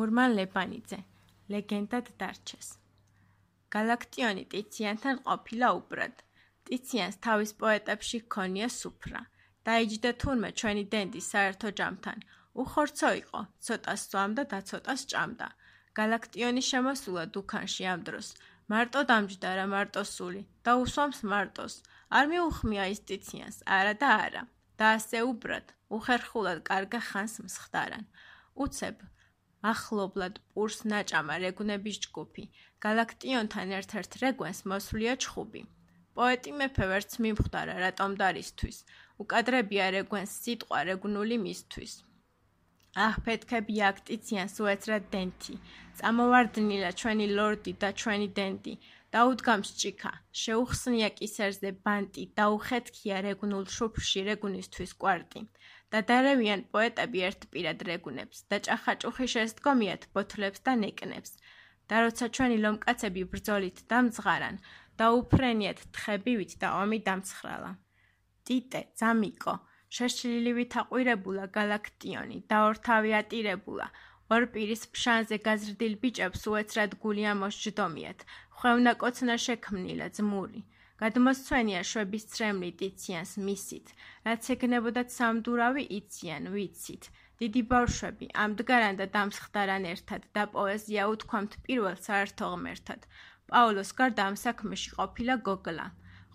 მურმან ლებანიძე, ლეგენდად დარჩეს. გალაქტიონი ტიციანთან ყოფილა უბრად. ტიციანს თავის პოეტებში ჰქონია სუფრა. დაიჯდა თურმე ჩვენი დენდი საერთო ჯამთან. უხორცო იყო, ცოტას სვამდა და ცოტას ჭამდა. გალაქტიონი შემოსულა დუქანში ამ დროს. მარტო დამჯდა რა მარტო სული და უსვამს მარტოს. არ მიუხმია ის ტიციანს, არა და არა. და ასე უბრად, უხერხულად კარგა ხანს მსხდარან. უცებ ახლობლად პურს ნაჭამა რეგუნების ჯგუფი. გალაქტიონთან ერთ-ერთ რეგუნს მოსვლია ჩხუბი. პოეტი მეფე ვერც მიმხვდარა რატომ დარისთვის. უკადრებია რეგუნს სიტყვა რეგუნული მისთვის. ფეთქები აქ ტიციანს უეცრად დენთი. წამოვარდნილა ჩვენი ლორდი და ჩვენი დენდი. დაუდგამს ჭიქა, შეუხსნია კისერზე ბანტი, დაუხეთქია რეგუნულ შუფრში რეგუნისთვის კვარტი. და დარევიან პოეტები ერთპირად რეგუნებს და ჭახაჭუხი შესდგომიათ ბოთლებს და ნეკნებს. და როცა ჩვენი ლომკაცები ბრძოლით დამძღარან, დაუფრენიათ თხებივით და ომი დამცხრალა. ტიტე, ძამიკო, შეშლილივით აყვირებულა გალაქტიონი, დაორთავი ატირებულა. ორ პირის ფშანზე გაზრდილ ბიჭებს უეცრად გული ამოსჯდომიათ, ხვევნა კოცნა შექმნილა ძმური. გადმოსცვენია შვების ცრემლი ტიციანს მისით, რაც ეგნებოდათ სამდურავი იციან, ვიცით. დიდი ბავშვები ამდგარან და დამსხდარან ერთად და პოეზია უთქვამთ პირველ საერთო ღმერთად. პაულოს გარდა ამ საქმეში ყოფილა გოგლა.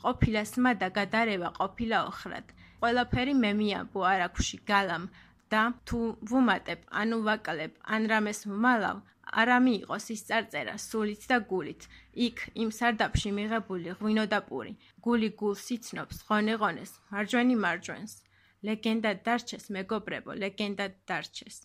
ყოფილა სმა და გადარევა ყოფილა ოხრად. ყველაფერი მე მიამბო არაქვში გალამ და თუ ვუმატებ, ანუ ვაკლებ, ან რამეს ვმალავ, არა მიიღოს ის წარწერა სულით და გულით. იქ იმ სარდაფში მიღებული ღვინო და პური. გული გულს იცნობს, ღონე ღონეს, მარჯვენი მარჯვენს. ლეგენდად დარჩეს, მეგობრებო, ლეგენდად დარჩეს.